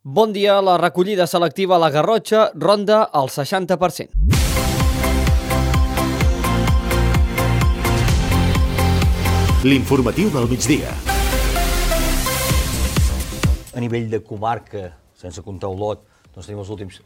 Bon dia, la recollida selectiva a la Garrotxa ronda el 60%. L'informatiu del migdia. A nivell de comarca, sense comptar Olot, doncs tenim els últims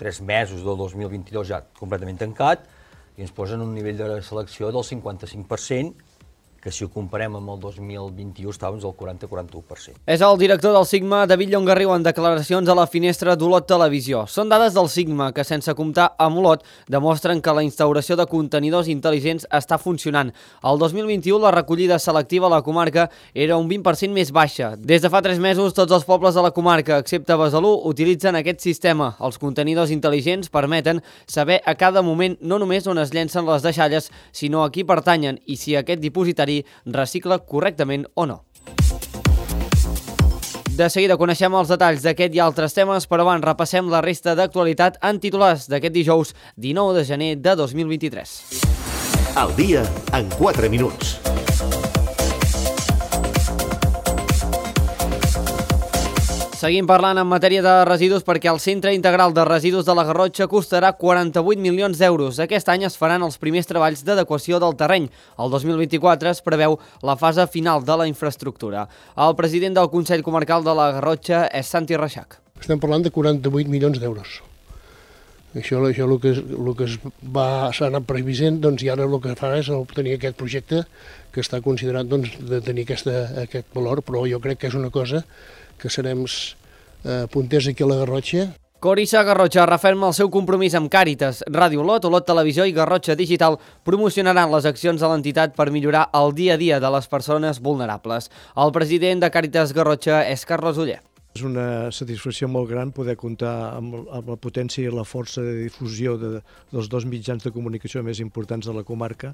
3 mesos del 2022 ja completament tancat i ens posen un nivell de selecció del 55%, que si ho comparem amb el 2021 estàvem al 40-41%. És el director del Sigma, David Llongarriu, en declaracions a la finestra d'Olot Televisió. Són dades del Sigma que, sense comptar amb Olot, demostren que la instauració de contenidors intel·ligents està funcionant. El 2021 la recollida selectiva a la comarca era un 20% més baixa. Des de fa 3 mesos, tots els pobles de la comarca, excepte Besalú, utilitzen aquest sistema. Els contenidors intel·ligents permeten saber a cada moment no només on es llencen les deixalles, sinó a qui pertanyen i si aquest dipositari recicla correctament o no. De seguida coneixem els detalls d'aquest i altres temes, però abans repassem la resta d'actualitat en titulars d'aquest dijous 19 de gener de 2023. El dia en 4 minuts. Seguim parlant en matèria de residus perquè el Centre Integral de Residus de la Garrotxa costarà 48 milions d'euros. Aquest any es faran els primers treballs d'adequació del terreny. El 2024 es preveu la fase final de la infraestructura. El president del Consell Comarcal de la Garrotxa és Santi Reixac. Estem parlant de 48 milions d'euros. Això el que s'ha anat previsent, doncs, i ara el que farà és obtenir aquest projecte que està considerat de tenir aquest valor, però jo crec que és una cosa que serem punters aquí a la Garrotxa. Corissa Garrotxa referma el seu compromís amb Càritas. Ràdio Olot, Olot Televisió i Garrotxa Digital promocionaran les accions de l'entitat per millorar el dia a dia de les persones vulnerables. El president de Càritas Garrotxa és Carlos Oller. És una satisfacció molt gran poder comptar amb la potència i la força de difusió dels 2 mitjans de comunicació més importants de la comarca,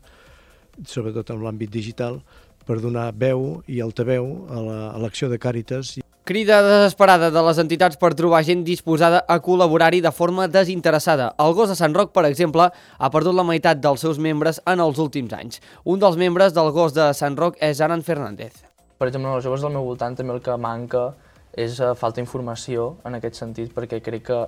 sobretot en l'àmbit digital, per donar veu i altaveu a l'acció de Càritas. Crida desesperada de les entitats per trobar gent disposada a col·laborar-hi de forma desinteressada. El Gos de Sant Roc, per exemple, ha perdut la meitat dels seus membres en els últims anys. Un dels membres del Gos de Sant Roc és Aran Fernández. Per exemple, els joves del meu voltant també el que manca és falta d'informació en aquest sentit, perquè crec que,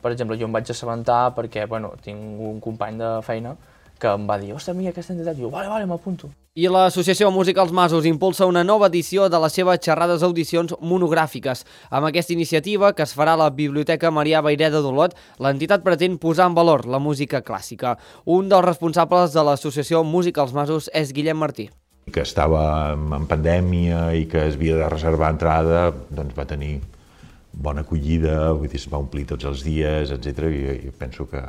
per exemple, jo em vaig assabentar perquè, tinc un company de feina que em va dir, ostres, mira aquesta entitat, i jo, vale, m'apunto. I l'Associació Musicals Masos impulsa una nova edició de les seves xerrades audicions monogràfiques. Amb aquesta iniciativa, que es farà a la Biblioteca Marià Vayreda d'Olot, l'entitat pretén posar en valor la música clàssica. Un dels responsables de l'Associació Musicals Masos és Guillem Martí. Que estava en pandèmia i que es havia de reservar entrada, doncs va tenir bona acollida, vull dir, es va omplir tots els dies, etc. I penso que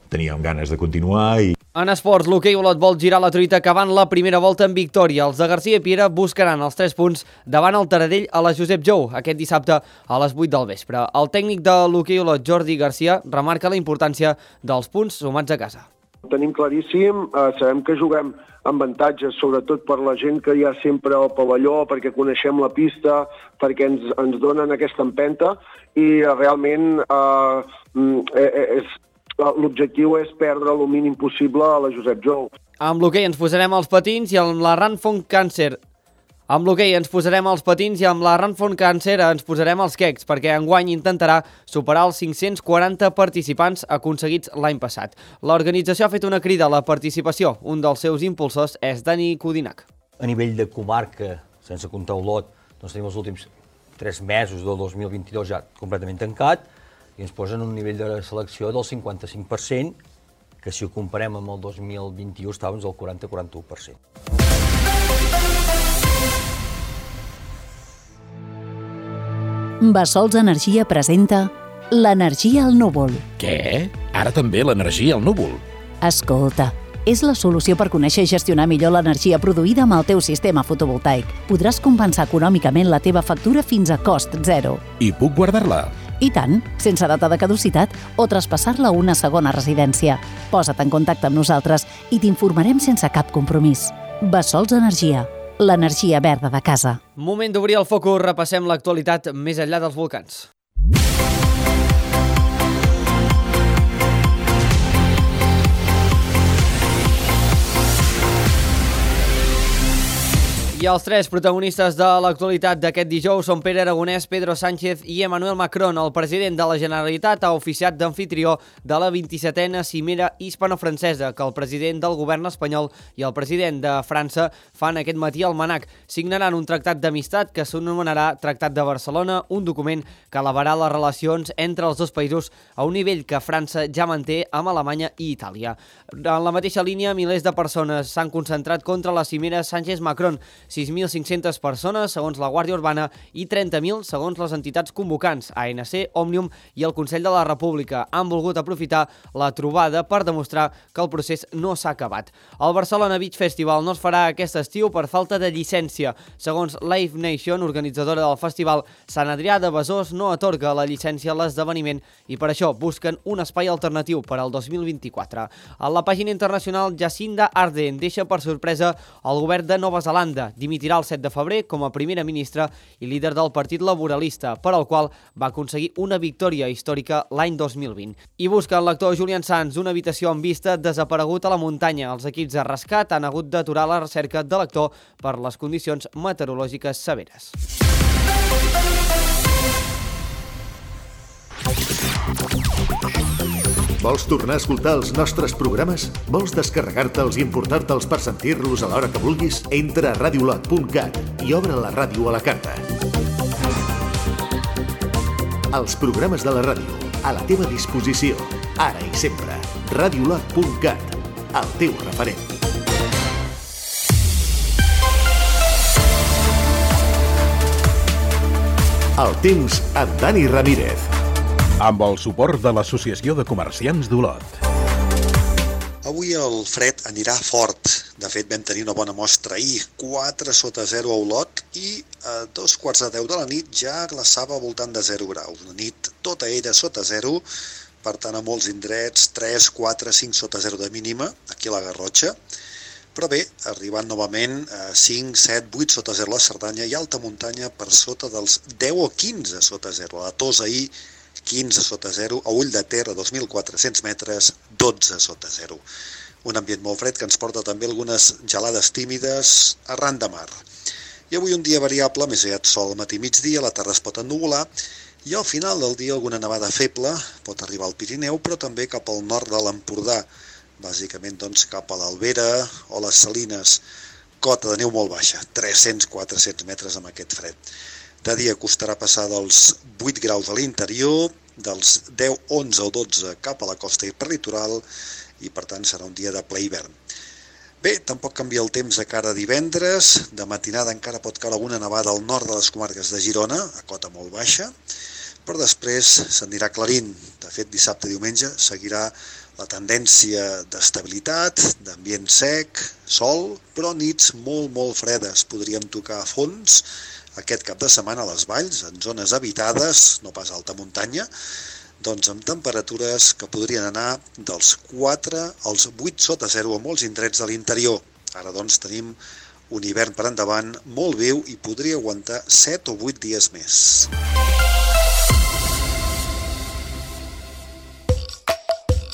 teníem ganes de continuar. En esports, l'hoquei Olot vol girar la truita acabant la primera volta en victòria. Els de Garcia Piera buscaran els 3 punts davant el Taradell a la Josep Jou aquest dissabte a les 8 del vespre. El tècnic de l'hoquei Olot, Jordi Garcia, remarca la importància dels punts sumats a casa. Ho tenim claríssim, sabem que juguem amb avantatges, sobretot per la gent que hi ha sempre al pavelló, perquè coneixem la pista, perquè ens donen aquesta empenta i realment l'objectiu és perdre el mínim possible a la Josep Jou. Amb l'hoquei ens posarem els patins i amb la Run Font Càncer. Amb l'hoquei ens posarem els patins i amb la Run Font Càncer ens posarem els quecs, perquè enguany intentarà superar els 540 participants aconseguits l'any passat. L'organització ha fet una crida a la participació. Un dels seus impulsors és Dani Codinac. A nivell de comarca, sense comptar Olot, doncs tenim els últims 3 mesos del 2022 ja completament tancat i ens posen un nivell de selecció del 55%, que si ho comparem amb el 2021 estàvem al 40-41%. Bassols Energia presenta l'energia al núvol. Què? Ara també l'energia al núvol? Escolta, és la solució per conèixer i gestionar millor l'energia produïda amb el teu sistema fotovoltaic. Podràs compensar econòmicament la teva factura fins a cost zero. I puc guardar-la? I tant, sense data de caducitat o traspassar-la a una segona residència. Posa't en contacte amb nosaltres i t'informarem sense cap compromís. Bassols Energia, l'energia verda de casa. Moment d'obrir el focus, repassem l'actualitat més enllà dels volcans. I els tres protagonistes de l'actualitat d'aquest dijous són Pere Aragonès, Pedro Sánchez i Emmanuel Macron. El president de la Generalitat ha oficiat d'amfitrió de la 27a cimera hispano-francesa que el president del govern espanyol i el president de França fan aquest matí al Manac. Signaran un tractat d'amistat que s'anomenarà Tractat de Barcelona, un document que elevarà les relacions entre els dos països a un nivell que França ja manté amb Alemanya i Itàlia. En la mateixa línia, milers de persones s'han concentrat contra la cimera Sánchez-Macron. 6.500 persones, segons la Guàrdia Urbana, i 30.000, segons les entitats convocants, ANC, Òmnium i el Consell de la República. Han volgut aprofitar la trobada per demostrar que el procés no s'ha acabat. El Barcelona Beach Festival no es farà aquest estiu per falta de llicència. Segons Live Nation, organitzadora del festival, Sant Adrià de Besòs no atorga la llicència a l'esdeveniment i per això busquen un espai alternatiu per al 2024. A la pàgina internacional, Jacinda Ardern deixa per sorpresa el govern de Nova Zelanda. Dimitirà el 7 de febrer com a primera ministra i líder del Partit Laboralista, per al qual va aconseguir una victòria històrica l'any 2020. I busquen l'actor Julian Sands una habitació amb vista desaparegut a la muntanya. Els equips de rescat han hagut d'aturar la recerca de l'actor per les condicions meteorològiques severes. Vols tornar a escoltar els nostres programes? Vols descarregar-te'ls i importar-te'ls per sentir-los a l'hora que vulguis? Entra a radiolot.cat i obre la ràdio a la carta. Els programes de la ràdio, a la teva disposició, ara i sempre. radiolot.cat, el teu referent. El temps amb Dani Ramírez. Amb el suport de l'Associació de Comerciants d'Olot. Avui el fred anirà fort. De fet, vam tenir una bona mostra ahir, 4 sota 0 a Olot i a 2:15 de la nit ja glaçava al voltant de 0 graus. Una nit tota ella sota 0, per tant a molts indrets 3, 4, 5 sota 0 de mínima, aquí a la Garrotxa. Però bé, arribant novament a 5, 7, 8 sota 0 a la Cerdanya i alta muntanya per sota dels 10 o 15 sota 0. A la Tos ahir 15 sota 0, a Ull de Ter a 2.400 metres, 12 sota 0. Un ambient molt fred que ens porta també algunes gelades tímides arran de mar. I avui un dia variable, més aviat sol al matí migdia, la tarda es pot ennuvolar i al final del dia alguna nevada feble pot arribar al Pirineu, però també cap al nord de l'Empordà, bàsicament doncs, cap a l'Albera o les Salines. Cota de neu molt baixa, 300-400 metres amb aquest fred. De dia costarà passar dels 8 graus a l'interior, dels 10, 11 o 12 cap a la costa i per litoral, i per tant serà un dia de ple hivern. Bé, tampoc canvia el temps de cara a divendres, de matinada encara pot caure alguna nevada al nord de les comarques de Girona, a cota molt baixa, però després s'anirà aclarint. De fet, dissabte i diumenge seguirà la tendència d'estabilitat, d'ambient sec, sol, però nits molt fredes. Podríem tocar a fons aquest cap de setmana a les valls, en zones habitades, no pas a alta muntanya, doncs amb temperatures que podrien anar dels 4 als 8 sota 0 a molts indrets de l'interior. Ara doncs tenim un hivern per endavant molt viu i podria aguantar 7 o 8 dies més.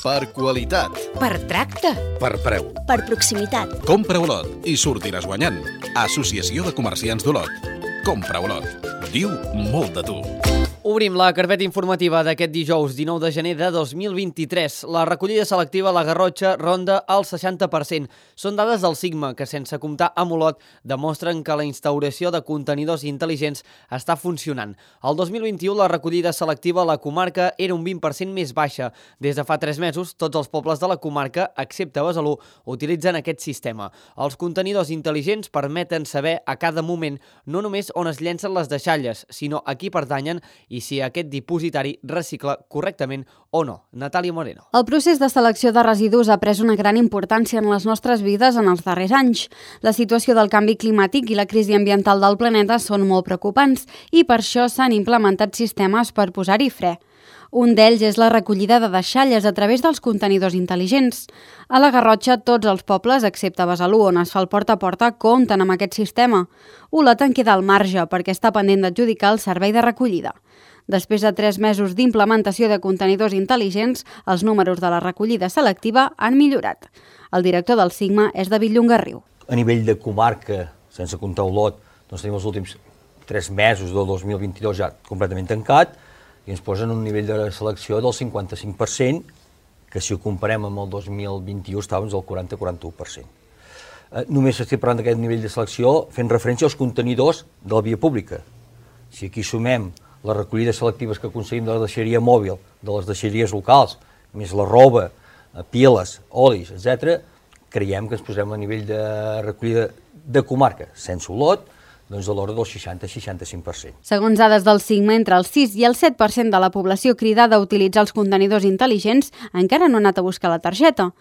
Per qualitat. Per tracte. Per preu. Per proximitat. Compra Olot i sortiràs guanyant. Associació de Comerciants d'Olot. Compra Olot. Diu molt de tu. Obrim la carpeta informativa d'aquest dijous 19 de gener de 2023. La recollida selectiva a la Garrotxa ronda el 60%. Són dades del Sigma que, sense comptar amb Olot, demostren que la instauració de contenidors intel·ligents està funcionant. El 2021 la recollida selectiva a la comarca era un 20% més baixa. Des de fa 3 mesos, tots els pobles de la comarca, excepte Besalú, utilitzen aquest sistema. Els contenidors intel·ligents permeten saber a cada moment no només on es llencen les deixalles, sinó a qui pertanyen i si aquest dipositari recicla correctament o no. Natàlia Moreno. El procés de selecció de residus ha pres una gran importància en les nostres vides en els darrers anys. La situació del canvi climàtic i la crisi ambiental del planeta són molt preocupants i per això s'han implementat sistemes per posar-hi fre. Un d'ells és la recollida de deixalles a través dels contenidors intel·ligents. A la Garrotxa, tots els pobles, excepte Besalú, on es fa el porta a porta, compten amb aquest sistema. Olot en queda al marge perquè està pendent d'adjudicar el servei de recollida. Després de 3 mesos d'implementació de contenidors intel·ligents, els números de la recollida selectiva han millorat. El director del Sigma és David Llongarriu. A nivell de comarca, sense comptar Olot, doncs tenim els últims 3 mesos del 2022 ja completament tancat i ens posen un nivell de selecció del 55%, que si ho comparem amb el 2021 estàvem al 40-41%. Només estic parlant d'aquest nivell de selecció fent referència als contenidors de la via pública. Si aquí sumem les recollides selectives que aconseguim de la deixeria mòbil, de les deixeries locals, més la roba, piles, olis, etc., creiem que ens posem a nivell de recollida de comarca, sense Olot, doncs a l'hora del 60-65%. Segons dades del Sigma, entre el 6 i el 7% de la població cridada a utilitzar els contenidors intel·ligents encara no ha anat a buscar la targeta.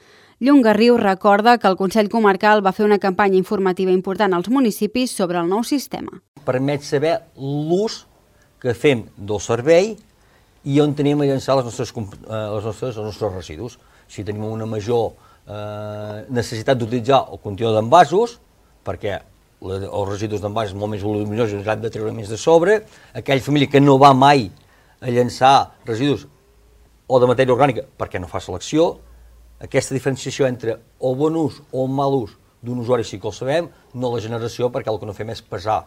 Llongarriu recorda que el Consell Comarcal va fer una campanya informativa important als municipis sobre el nou sistema. Permet saber l'ús que fem del servei i on tenim a llançar els nostres residus. Si tenim una major necessitat d'utilitzar el contenidor d'envasos, perquè els residus d'envasos són molt més voluminosos i ens han de treure més de sobre, aquella família que no va mai a llançar residus o de matèria orgànica perquè no fa selecció, aquesta diferenciació entre el bon ús o el mal ús d'un usuari sí que el sabem, no la generació, perquè el que no fem és pesar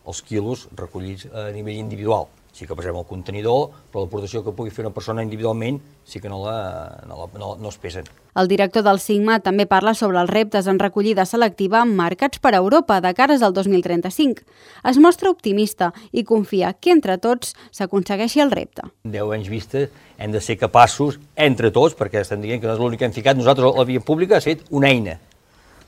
els quilos recollits a nivell individual. Sí que pesem el contenidor, però l'aportació que pugui fer una persona individualment sí que no es pesen. El director del Sigma també parla sobre els reptes en recollida selectiva marcats per Europa de cares al 2035. Es mostra optimista i confia que entre tots s'aconsegueixi el repte. 10 anys vista hem de ser capaços, entre tots, perquè estem dient que no és l'únic que hem ficat, nosaltres la via pública ha estat una eina.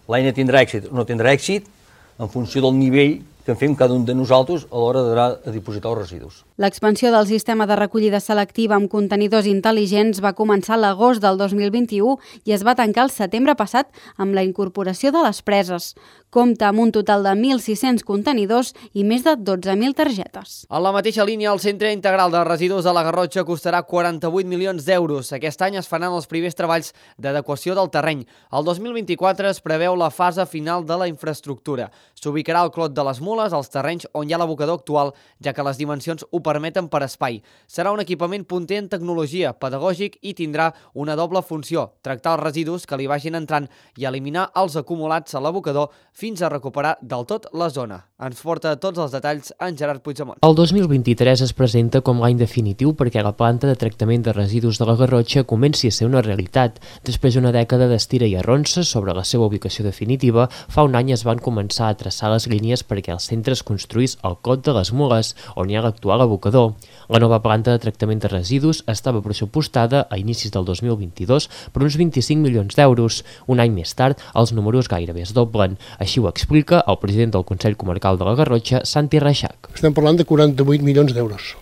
L'eina tindrà èxit o no tindrà èxit en funció del nivell que en fem cada un de nosaltres a l'hora d'anar a dipositar els residus. L'expansió del sistema de recollida selectiva amb contenidors intel·ligents va començar a l'agost del 2021 i es va tancar el setembre passat amb la incorporació de les preses. Compta amb un total de 1.600 contenidors i més de 12.000 targetes. En la mateixa línia, el Centre Integral de Residus de la Garrotxa costarà 48 milions d'euros. Aquest any es faran els primers treballs d'adequació del terreny. El 2024 es preveu la fase final de la infraestructura. S'ubicarà al Clot de les Mules, als terrenys on hi ha l'abocador actual, ja que les dimensions ho permeten per espai. Serà un equipament punter en tecnologia, pedagògic i tindrà una doble funció, tractar els residus que li vagin entrant i eliminar els acumulats a l'abocador fins a recuperar del tot la zona. Ens porta tots els detalls en Gerard Puigdemont. El 2023 es presenta com l'any definitiu perquè la planta de tractament de residus de la Garrotxa comenci a ser una realitat. Després d'una dècada d'estira i arronses sobre la seva ubicació definitiva, fa un any es van començar a traçar les línies perquè el centre es construís al Clot de les Mules, on hi ha l'actual abocador. La nova planta de tractament de residus estava pressupostada a inicis del 2022 per uns 25 milions d'euros. Un any més tard, els números gairebé es doblen. Així ho explica el president del Consell Comarcal de la Garrotxa, Santi Reixac. Estem parlant de 48 milions d'euros.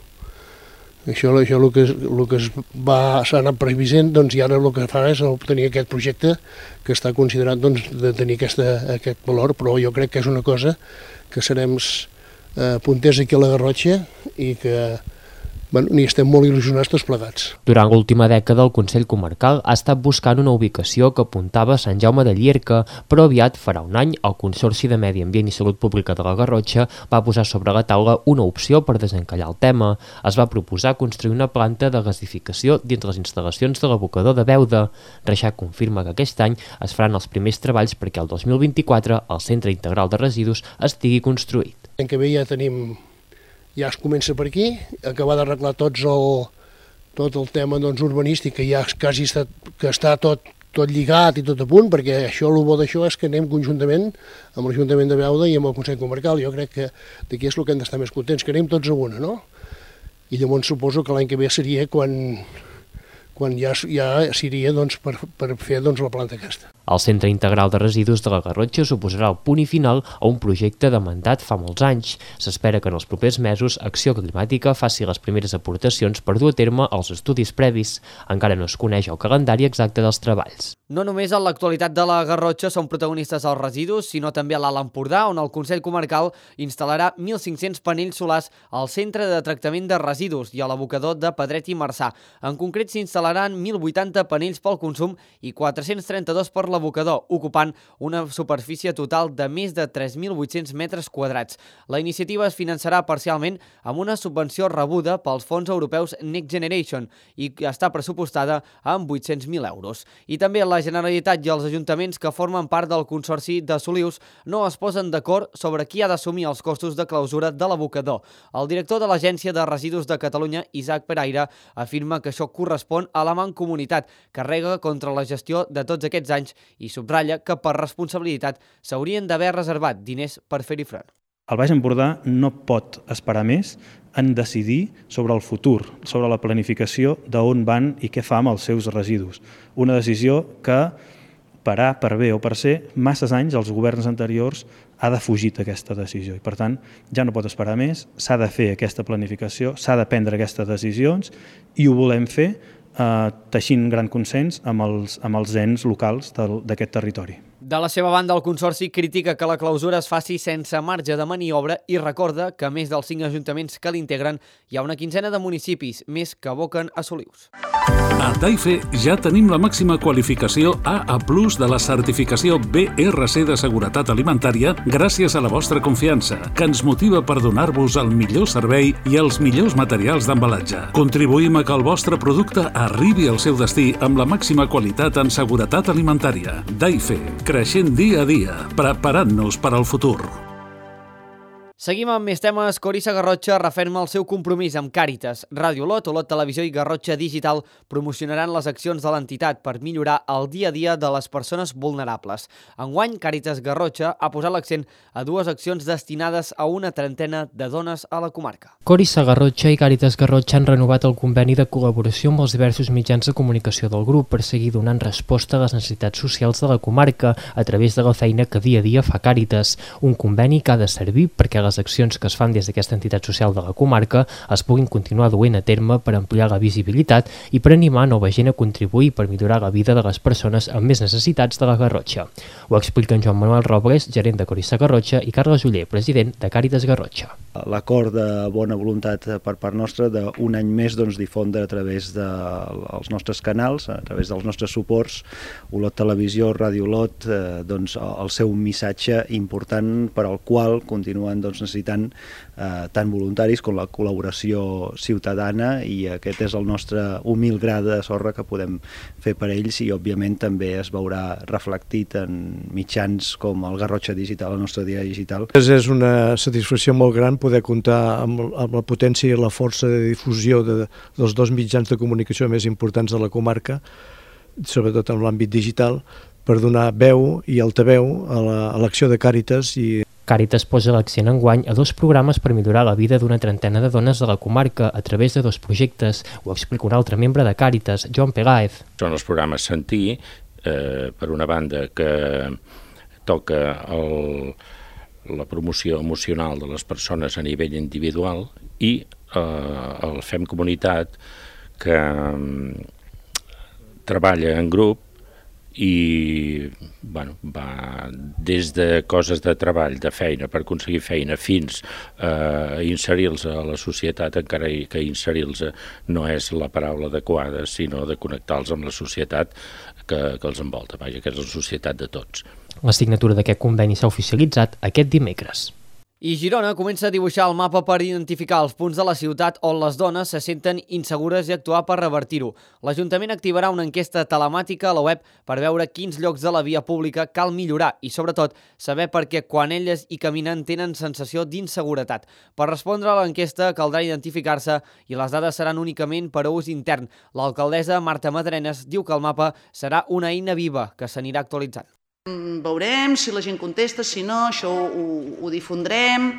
Això el que s'ha anat previsent, doncs, i ara el que fa és obtenir aquest projecte que està considerat de tenir aquest valor, però jo crec que és una cosa que serem punters aquí a la Garrotxa i que n'hi estem molt il·lusionats tots plegats. Durant l'última dècada, el Consell Comarcal ha estat buscant una ubicació que apuntava a Sant Jaume de Llierca, però aviat, farà un any, el Consorci de Medi Ambient i Salut Pública de la Garrotxa va posar sobre la taula una opció per desencallar el tema. Es va proposar construir una planta de gasificació dins les instal·lacions de l'abocador de Beuda. Reixac confirma que aquest any es faran els primers treballs perquè el 2024 el Centre Integral de Residus estigui construït. L'any que ve ja es comença per aquí, acabar d'arreglar tot el tema urbanístic, que ja quasi està tot lligat i tot a punt, perquè el bo d'això és que anem conjuntament amb l'Ajuntament de Beuda i amb el Consell Comarcal. Jo crec que d'aquí és el que hem d'estar més contents, que anem tots a una, no? I llavors suposo que l'any que ve seria quan ja seria per fer la planta aquesta. El Centre Integral de Residus de la Garrotxa suposarà el punt i final a un projecte demandat fa molts anys. S'espera que en els propers mesos Acció Climàtica faci les primeres aportacions per dur a terme els estudis previs. Encara no es coneix el calendari exacte dels treballs. No només en l'actualitat de la Garrotxa són protagonistes els residus, sinó també a l'Alt Empordà, on el Consell Comarcal instal·larà 1.500 panells solars al Centre de Tractament de Residus i a l'abocador de Pedret i Marçà. En concret, s'instal·laran 1.080 panells pel consum i 432 per l'abocador, ocupant una superfície total de més de 3.800 metres quadrats. La iniciativa es finançarà parcialment amb una subvenció rebuda pels fons europeus Next Generation i està pressupostada amb 800.000 euros. I també la Generalitat i els ajuntaments que formen part del Consorci de Solius no es posen d'acord sobre qui ha d'assumir els costos de clausura de l'abocador. El director de l'Agència de Residus de Catalunya, Isaac Peraire, afirma que això correspon a la Mancomunitat, que rega contra la gestió de tots aquests anys i subratlla que per responsabilitat s'haurien d'haver reservat diners per fer-hi front. El Baix Empordà no pot esperar més en decidir sobre el futur, sobre la planificació d'on van i què fa amb els seus residus. Una decisió que, per A, per B o per C, masses anys els governs anteriors ha defugit aquesta decisió. I, per tant, ja no pot esperar més, s'ha de fer aquesta planificació, s'ha de prendre aquestes decisions i ho volem fer teixint gran consens amb els ens locals d'aquest territori. De la seva banda, el Consorci critica que la clausura es faci sense marge de maniobra i recorda que, a més dels 5 ajuntaments que l'integren, hi ha una quinzena de municipis més que aboquen a Solius. A Daife ja tenim la màxima qualificació AA+ de la certificació BRC de Seguretat Alimentària gràcies a la vostra confiança, que ens motiva per donar-vos el millor servei i els millors materials d'embalatge. Contribuïm a que el vostre producte arribi al seu destí amb la màxima qualitat en seguretat alimentària. Daife, creixent dia a dia, preparant-nos per al futur. Seguim amb més temes. Corissa Garrotxa referma el seu compromís amb Càritas. Ràdio Olot, Olot Televisió i Garrotxa Digital promocionaran les accions de l'entitat per millorar el dia a dia de les persones vulnerables. Enguany, Càritas Garrotxa ha posat l'accent a 2 accions destinades a una trentena de dones a la comarca. Corissa Garrotxa i Càritas Garrotxa han renovat el conveni de col·laboració amb els diversos mitjans de comunicació del grup per seguir donant resposta a les necessitats socials de la comarca a través de la feina que dia a dia fa Càritas. Un conveni que ha de servir perquè les accions que es fan des d'aquesta entitat social de la comarca es puguin continuar duent a terme per ampliar la visibilitat i per animar nova gent a contribuir per millorar la vida de les persones amb més necessitats de la Garrotxa. Ho expliquen Joan Manuel Robles, gerent de Corissa Garrotxa, i Carles Oller, president de Càritas Garrotxa. L'acord de bona voluntat per part nostra d'un any més difondre a través dels nostres canals, a través dels nostres suports, Olot Televisió, Ràdio Olot, el seu missatge important per al qual continuen necessitant tant voluntaris com la col·laboració ciutadana, i aquest és el nostre humil gra de sorra que podem fer per ells, i òbviament també es veurà reflectit en mitjans com el Garrotxa Digital, el nostre diari digital. És una satisfacció molt gran poder comptar amb la potència i la força de difusió dels 2 mitjans de comunicació més importants de la comarca, sobretot en l'àmbit digital, per donar veu i altaveu a l'acció de Càritas. Càritas posa l'accent enguany a 2 programes per millorar la vida d'una trentena de dones de la comarca a través de 2 projectes. Ho explica un altre membre de Càritas, Joan Peláez. Són els programes Sentir, per una banda, que toca la promoció emocional de les persones a nivell individual, i el Fem Comunitat, que treballa en grup i va des de coses de treball, de feina, per aconseguir feina, fins a inserir-los a la societat, encara que inserir-los no és la paraula adequada, sinó de connectar-los amb la societat que els envolta, que és la societat de tots. La signatura d'aquest conveni s'ha oficialitzat aquest dimecres. I Girona comença a dibuixar el mapa per identificar els punts de la ciutat on les dones se senten insegures i actuar per revertir-ho. L'Ajuntament activarà una enquesta telemàtica a la web per veure quins llocs de la via pública cal millorar i, sobretot, saber per què quan elles hi caminen tenen sensació d'inseguretat. Per respondre a l'enquesta caldrà identificar-se i les dades seran únicament per a ús intern. L'alcaldessa Marta Madrenes diu que el mapa serà una eina viva que s'anirà actualitzant. Veurem si la gent contesta, si no, això ho difondrem,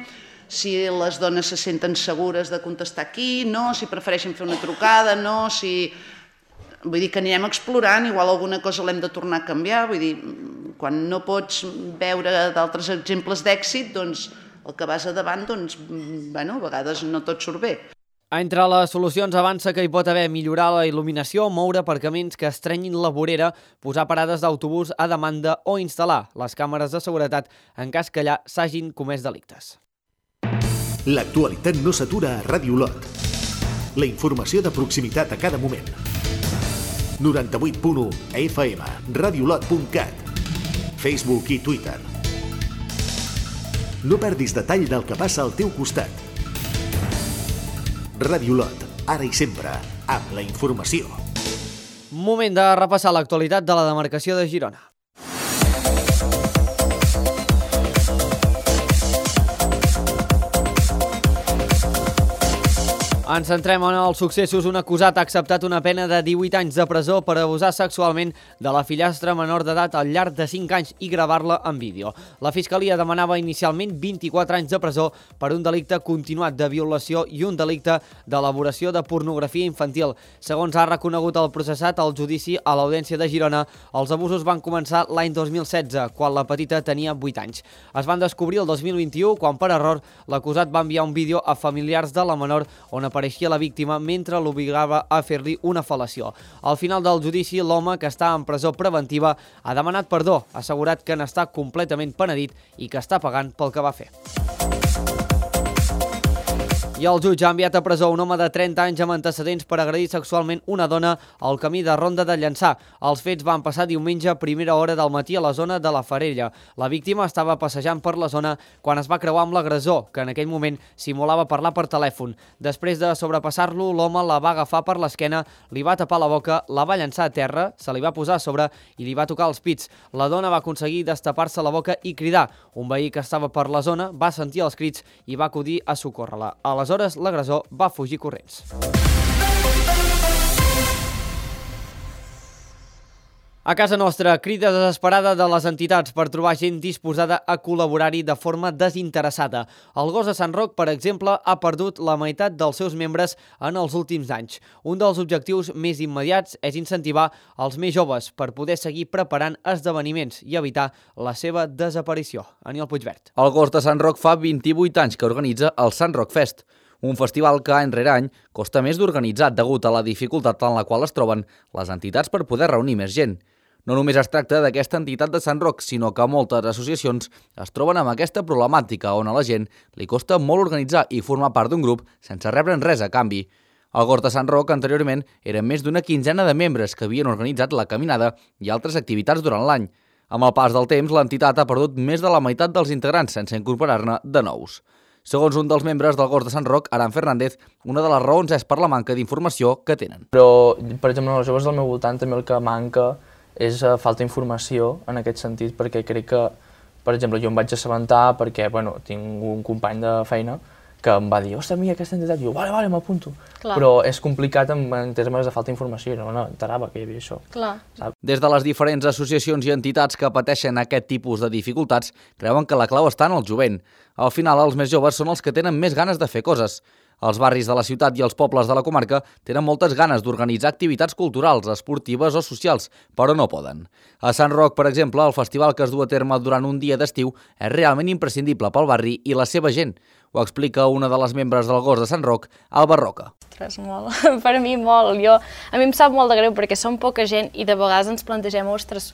si les dones se senten segures de contestar aquí, no, si prefereixen fer una trucada, no, si... Vull dir que anirem explorant, igual alguna cosa l'hem de tornar a canviar, vull dir, quan no pots veure d'altres exemples d'èxit, doncs el que vas a davant, doncs, bueno, a vegades no tot surt bé. Entre les solucions avança que hi pot haver millorar la il·luminació, moure aparcaments que estrenyin la vorera, posar parades d'autobús a demanda o instal·lar les càmeres de seguretat en cas que allà s'hagin comès delictes. L'actualitat no s'atura a Ràdio Olot. La informació de proximitat a cada moment. 98.1 FM, radiolot.cat. Facebook i Twitter. No perdis detall del que passa al teu costat. Ràdio Olot, ara i sempre, amb la informació. Moment de repassar l'actualitat de la demarcació de Girona. Ens centrem en els successos. Un acusat ha acceptat una pena de 18 anys de presó per abusar sexualment de la fillastra menor d'edat al llarg de 5 anys i gravar-la en vídeo. La Fiscalia demanava inicialment 24 anys de presó per un delicte continuat de violació i un delicte d'elaboració de pornografia infantil. Segons ha reconegut el processat al judici a l'Audiència de Girona, els abusos van començar l'any 2016, quan la petita tenia 8 anys. Es van descobrir el 2021, quan per error l'acusat va enviar un vídeo a familiars de la menor on apareixia la víctima mentre l'obligava a fer-li una fel·lació. Al final del judici, l'home, que està en presó preventiva, ha demanat perdó, ha assegurat que n'està completament penedit i que està pagant pel que va fer. I el jutge ha enviat a presó un home de 30 anys amb antecedents per agredir sexualment una dona al camí de Ronda de Llançà. Els fets van passar diumenge a primera hora del matí a la zona de la Farella. La víctima estava passejant per la zona quan es va creuar amb l'agressor, que en aquell moment simulava parlar per telèfon. Després de sobrepassar-lo, l'home la va agafar per l'esquena, li va tapar la boca, la va llançar a terra, se li va posar a sobre i li va tocar els pits. La dona va aconseguir destapar-se la boca i cridar. Un veí que estava per la zona va sentir els crits i va acudir a socórrer-la. Aleshores, l'agressor va fugir corrents. A casa nostra, crida desesperada de les entitats per trobar gent disposada a col·laborar-hi de forma desinteressada. El Gos de Sant Roc, per exemple, ha perdut la meitat dels seus membres en els últims anys. Un dels objectius més immediats és incentivar els més joves per poder seguir preparant esdeveniments i evitar la seva desaparició. Aniol Puigvert. El Gos de Sant Roc fa 28 anys que organitza el Sant Roc Fest, un festival que any rere any costa més d'organitzar degut a la dificultat en la qual es troben les entitats per poder reunir més gent. No només es tracta d'aquesta entitat de Sant Roc, sinó que moltes associacions es troben amb aquesta problemàtica on a la gent li costa molt organitzar i formar part d'un grup sense rebre'n res a canvi. El Gos de Sant Roc anteriorment eren més d'una quinzena de membres que havien organitzat la caminada i altres activitats durant l'any. Amb el pas del temps, l'entitat ha perdut més de la meitat dels integrants sense incorporar-ne de nous. Segons un dels membres del Gos de Sant Roc, Aran Fernández, una de les raons és per la manca d'informació que tenen. Però, per exemple, els joves del meu voltant també el que manca és falta d'informació en aquest sentit, perquè crec que, per exemple, jo em vaig assabentar perquè, bueno, tinc un company de feina que em va dir, ostres, mira aquesta entitat, i jo, vale, m'apunto. Però és complicat en termes de falta d'informació, no enterava que hi havia això. Clar. Des de les diferents associacions i entitats que pateixen aquest tipus de dificultats, creuen que la clau està en el jovent. Al final, els més joves són els que tenen més ganes de fer coses. Els barris de la ciutat i els pobles de la comarca tenen moltes ganes d'organitzar activitats culturals, esportives o socials, però no poden. A Sant Roc, per exemple, el festival que es du a terme durant un dia d'estiu és realment imprescindible pel barri i la seva gent. Ho explica una de les membres del Gos de Sant Roc, Alba Roca. Ostres, molt. Per mi molt. A mi em sap molt de greu perquè som poca gent i de vegades ens plantegem, ostres,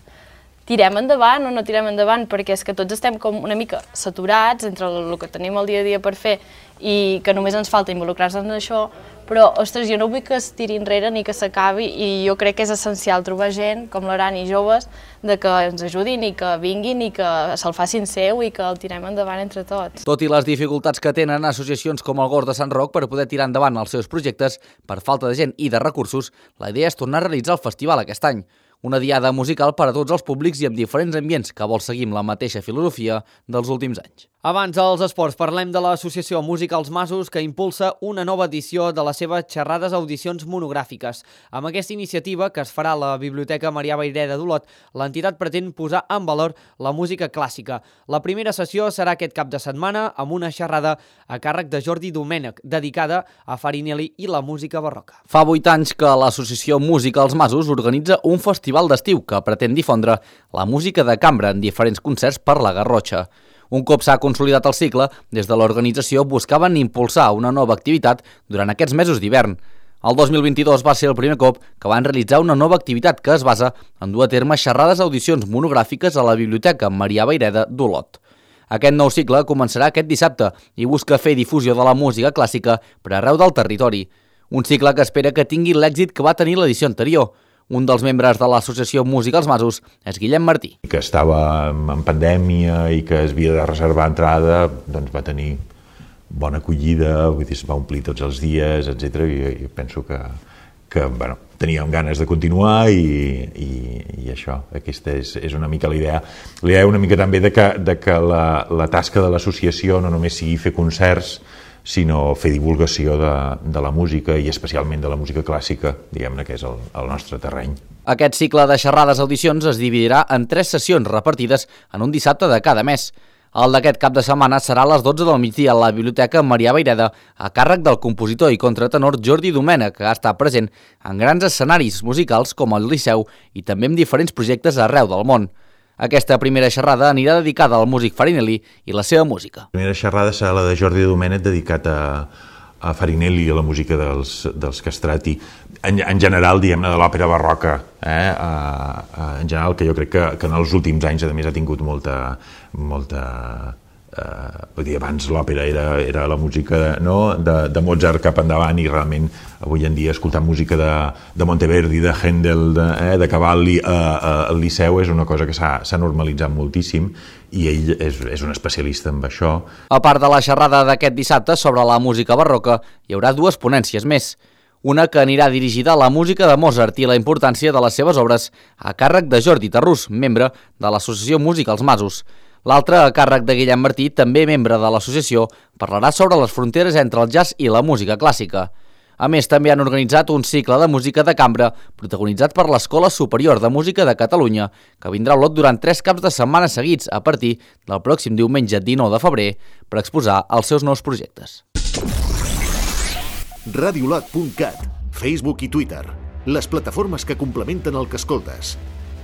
tirem endavant o no tirem endavant, perquè és que tots estem com una mica saturats entre el que tenim el dia a dia per fer i que només ens falta involucrar-nos en això, però, ostres, jo no vull que es tiri enrere ni que s'acabi i jo crec que és essencial trobar gent com l'Aran i joves de que ens ajudin i que vinguin i que se'l facin seu i que el tirem endavant entre tots. Tot i les dificultats que tenen associacions com el Gos de Sant Roc per poder tirar endavant els seus projectes, per falta de gent i de recursos, la idea és tornar a realitzar el festival aquest any. Una diada musical per a tots els públics i amb diferents ambients que vol seguir amb la mateixa filosofia dels últims anys. Abans dels esports, parlem de l'associació Música als Masos, que impulsa una nova edició de les seves xerrades audicions monogràfiques. Amb aquesta iniciativa, que es farà a la Biblioteca Marià Vayreda d'Olot, l'entitat pretén posar en valor la música clàssica. La primera sessió serà aquest cap de setmana amb una xerrada a càrrec de Jordi Domènech, dedicada a Farinelli i la música barroca. Fa 8 anys que l'associació Música als Masos organitza un festival d'estiu que pretén difondre la música de cambra en diferents concerts per la Garrotxa. Un cop s'ha consolidat el cicle, des de l'organització buscaven impulsar una nova activitat durant aquests mesos d'hivern. El 2022 va ser el primer cop que van realitzar una nova activitat que es basa en dur a terme xerrades audicions monogràfiques a la Biblioteca Marià Vayreda d'Olot. Aquest nou cicle començarà aquest dissabte i busca fer difusió de la música clàssica per arreu del territori. Un cicle que espera que tingui l'èxit que va tenir l'edició anterior. Un dels membres de l'associació Música als Masos és Guillem Martí. Que estava en pandèmia i que es havia de reservar entrada, doncs va tenir bona acollida, vull dir, es va omplir tots els dies, etc. I penso que teníem ganes de continuar i això, aquesta és una mica la idea. La idea una mica també de que la tasca de l'associació no només sigui fer concerts, sinó fer divulgació de la música i especialment de la música clàssica, diguem-ne, que és el nostre terreny. Aquest cicle de xerrades audicions es dividirà en 3 sessions repartides en un dissabte de cada mes. El d'aquest cap de setmana serà a les 12 del migdia a la Biblioteca Marià Vayreda, a càrrec del compositor i contratenor Jordi Domènech, que ha estat present en grans escenaris musicals com el Liceu i també en diferents projectes arreu del món. Aquesta primera xerrada anirà dedicada al músic Farinelli i la seva música. La primera xerrada serà la de Jordi Domènech, dedicat a Farinelli i a la música dels Castrati. En general, diguem-ne, de l'òpera barroca, en general, que jo crec que en els últims anys, a més, ha tingut molta vull dir, abans l'òpera era la música de Mozart cap endavant i realment avui en dia escoltar música de Monteverdi, de Händel, de Cavalli al Liceu és una cosa que s'ha normalitzat moltíssim i ell és un especialista en això. A part de la xerrada d'aquest dissabte sobre la música barroca, hi haurà 2 ponències més. Una que anirà dirigida a la música de Mozart i la importància de les seves obres, a càrrec de Jordi Tarrús, membre de l'associació Música als Masos. L'altra, a càrrec de Guillem Martí, també membre de l'associació, parlarà sobre les fronteres entre el jazz i la música clàssica. A més, també han organitzat un cicle de música de cambra protagonitzat per l'Escola Superior de Música de Catalunya, que vindrà a Olot durant 3 caps de setmana seguits a partir del pròxim diumenge 19 de febrer per exposar els seus nous projectes. Radiolot.cat, Facebook i Twitter, les plataformes que complementen el que escoltes.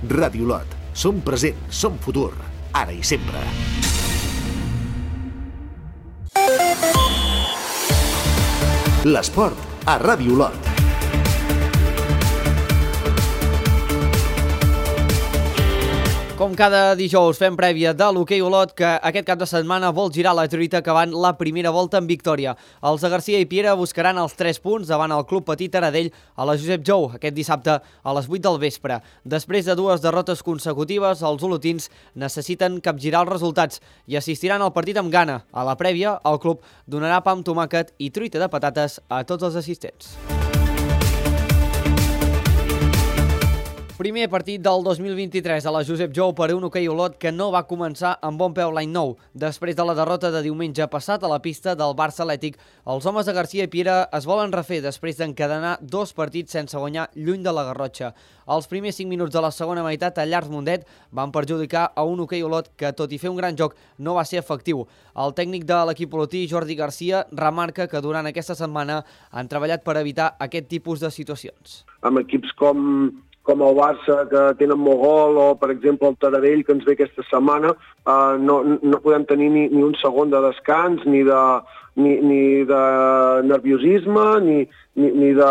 Radiolot, som present, som futur, ara i sempre. L'esport a Radiolot. Com cada dijous fem prèvia de l'hoquei Olot, que aquest cap de setmana vol girar la truita acabant la primera volta en victòria. Els de Garcia i Piera buscaran els 3 punts davant el Club Petit Taradell a la Josep Jou aquest dissabte a les 8 del vespre. Després de 2 derrotes consecutives, els olotins necessiten capgirar els resultats i assistiran al partit amb gana. A la prèvia, el club donarà pa amb tomàquet i truita de patates a tots els assistents. Primer partit del 2023 a la Josep Jou per un hoquei Olot que no va començar amb bon peu l'any nou. Després de la derrota de diumenge passat a la pista del Barça Atlètic, els homes de Garcia i Piera es volen refer després d'encadenar 2 partits sense guanyar lluny de la Garrotxa. Els primers 5 minuts de la segona meitat a Llars Mundet van perjudicar a un hoquei Olot que, tot i fer un gran joc, no va ser efectiu. El tècnic de l'equip olotí, Jordi Garcia, remarca que durant aquesta setmana han treballat per evitar aquest tipus de situacions. Amb equips com el Barça, que tenen molt gol, o, per exemple, el Taradell, que ens ve aquesta setmana, no podem tenir ni un segon de descans, ni de nerviosisme, ni de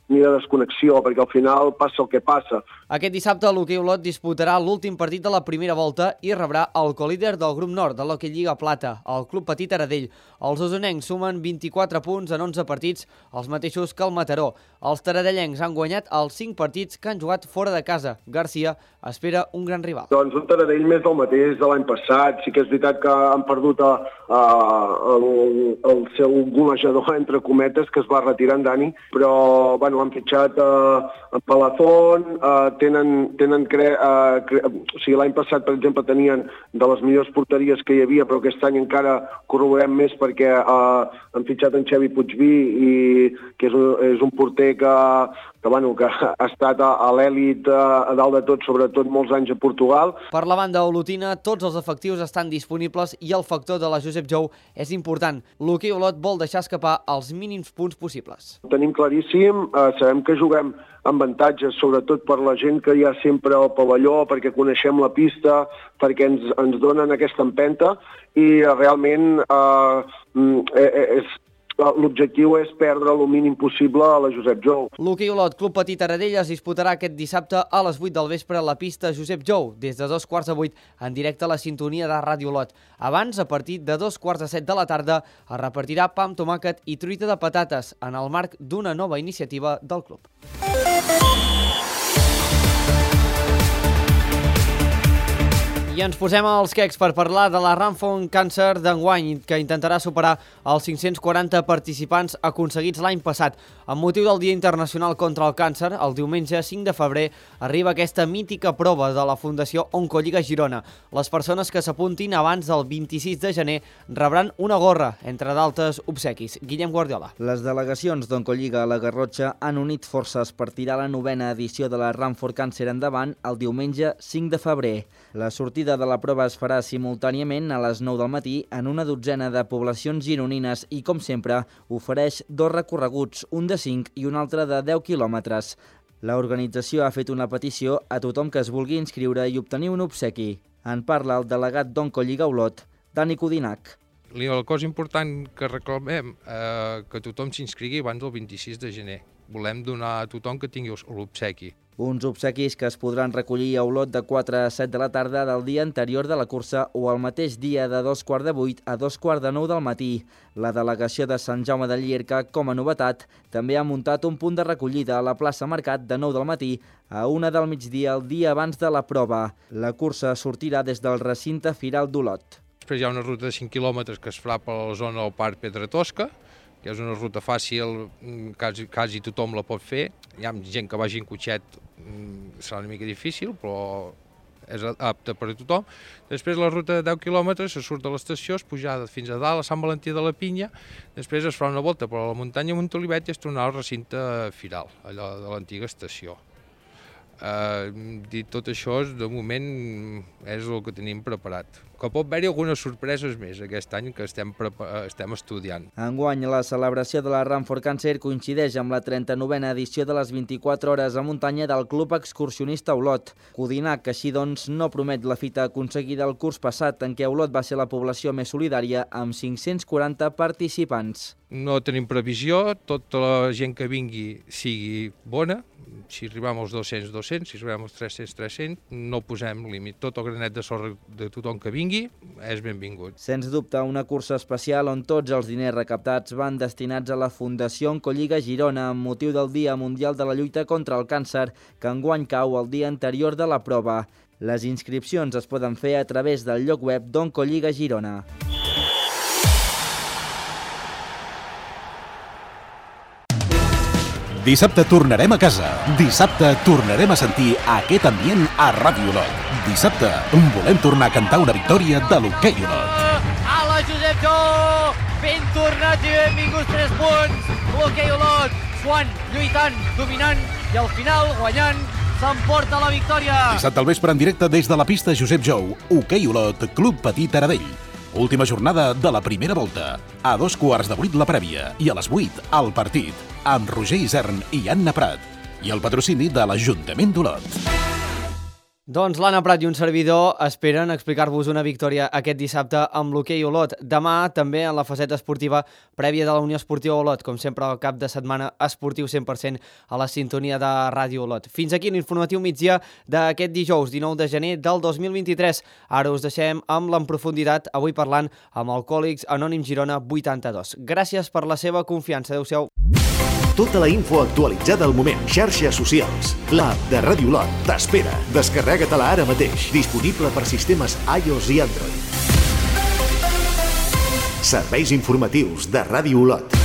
desconnexió, perquè al final passa el que passa. Aquest dissabte l'hoquei Olot disputarà l'últim partit de la primera volta i rebrà el colíder del grup nord de l'Hoquei Lliga Plata, el Club Petit Taradell. Els osonencs sumen 24 punts en 11 partits, els mateixos que el Mataró. Els taradellencs han guanyat els 5 partits que han jugat fora de casa. Garcia espera un gran rival. Doncs un Taradell més del mateix de l'any passat. Sí que és veritat que han perdut el seu golejador, entre cometes, que es va retirar en Dani, però han fitxat en Palazón, o sigui, l'any passat, per exemple, tenien de les millors porteries que hi havia, però aquest any encara corroborem més perquè han fitxat en Xavi Puigví, que és un porter que ha estat a l'èlit a dalt de tot, sobretot molts anys a Portugal. Per la banda olotina, tots els efectius estan disponibles i el factor de la Josep Jou és important. L'hoquei Olot vol deixar escapar els mínims punts possibles. Tenim claríssim, sabem que juguem amb avantatges, sobretot per la gent que hi ha sempre al pavelló, perquè coneixem la pista, perquè ens donen aquesta empenta i realment l'objectiu és perdre el mínim possible a la Josep Jou. L'hoquei Olot Club Petit Taradell es disputarà aquest dissabte a les 8 del vespre a la pista Josep Jou, des de 2:15 en directe a la sintonia de Ràdio Olot. Abans, a partir de 2:15 de la tarda, es repartirà pa amb tomàquet i truita de patates en el marc d'una nova iniciativa del club. I ens posem als quecs per parlar de la Run for Cancer d'enguany, que intentarà superar els 540 participants aconseguits l'any passat. Amb motiu del Dia Internacional contra el Càncer, el diumenge 5 de febrer arriba aquesta mítica prova de la Fundació Oncolliga Girona. Les persones que s'apuntin abans del 26 de gener rebran una gorra, entre d'altres obsequis. Guillem Guardiola. Les delegacions d'Oncolliga a la Garrotxa han unit forces per tirar la 9ª edició de la Run for Cancer endavant el diumenge 5 de febrer. La sortida de la prova es farà simultàniament a les 9 del matí en una dotzena de poblacions gironines i, com sempre, ofereix 2 recorreguts, un de 5 i un altre de 10 quilòmetres. L'organització ha fet una petició a tothom que es vulgui inscriure i obtenir un obsequi. En parla el delegat d'Oncolliga Olot, Dani Codinac. La cosa important que reclamem que tothom s'inscrigui abans del 26 de gener. Volem donar a tothom que tingui l'obsequi. Uns obsequis que es podran recollir a Olot de 4 a 7 de la tarda del dia anterior de la cursa o el mateix dia de 7:45 a 8:45 del matí. La delegació de Sant Jaume de Llierca, com a novetat, també ha muntat un punt de recollida a la plaça Mercat de 9 del matí a 1 del migdia el dia abans de la prova. La cursa sortirà des del recinte Firal d'Olot. Després hi ha una ruta de 5 quilòmetres que es farà per la zona del Parc Pedra Tosca, que és una ruta fàcil, quasi tothom la pot fer. Hi ha gent que vagi en cotxet, serà una mica difícil, però és apta per a tothom. Després la ruta de 10 quilòmetres se surt de l'estació, és pujada fins a dalt, a Sant Valentí de la Pinya, després es fa una volta per la muntanya Montolivet i es tornarà al recinte Firal, allò de l'antiga estació. Dit tot això, de moment és el que tenim preparat. Que pot haver-hi algunes sorpreses més aquest any que estem estudiant. Enguany, la celebració de la Run for Cancer coincideix amb la 39a edició de les 24 hores a muntanya del Club Excursionista Olot. Codinac, així doncs, no promet la fita aconseguida el curs passat, en què Olot va ser la població més solidària amb 540 participants. No tenim previsió, tota la gent que vingui sigui bona. Si arribem als 200, 200, si arribem als 300, 300, no posem límit. Tot el granet de sorra de tothom que vingui és benvingut. Sens dubte, una cursa especial on tots els diners recaptats van destinats a la Fundació Oncolliga Girona amb motiu del Dia Mundial de la Lluita contra el Càncer, que enguany cau el dia anterior de la prova. Les inscripcions es poden fer a través del lloc web d'Oncolliga Girona. Dissabte tornarem a casa. Dissabte tornarem a sentir aquest ambient a Ràdio Olot. Dissabte volem tornar a cantar una victòria de l'hoquei Olot. Ala, Josep Jou! Ben tornats i benvinguts 3 punts. L'hoquei Olot, suant, lluitant, dominant i al final guanyant s'emporta la victòria. Dissabte al vespre en directe des de la pista Josep Jou. Hoquei Olot, Club Petit Taradell. Última jornada de la primera volta. A 7:45 la prèvia i a les 8 el partit, amb Roger Isern i Anna Prat. I el patrocini de l'Ajuntament d'Olot. Doncs l'Anna Prat i un servidor esperen explicar-vos una victòria aquest dissabte amb l'hoquei Olot. Demà també en la faceta esportiva prèvia de la Unió Esportiva Olot, com sempre al cap de setmana esportiu 100% a la sintonia de Ràdio Olot. Fins aquí l'informatiu migdia d'aquest dijous 19 de gener del 2023. Ara us deixem amb l'en profunditat, avui parlant amb Alcohòlics Anònims Girona 82. Gràcies per la seva confiança. Adéu-siau. Tota la info actualitzada al moment. Xarxes socials. L'app de Ràdio Olot t'espera. Descarrega-te-la ara mateix. Disponible per sistemes iOS i Android. Serveis informatius de Ràdio Olot.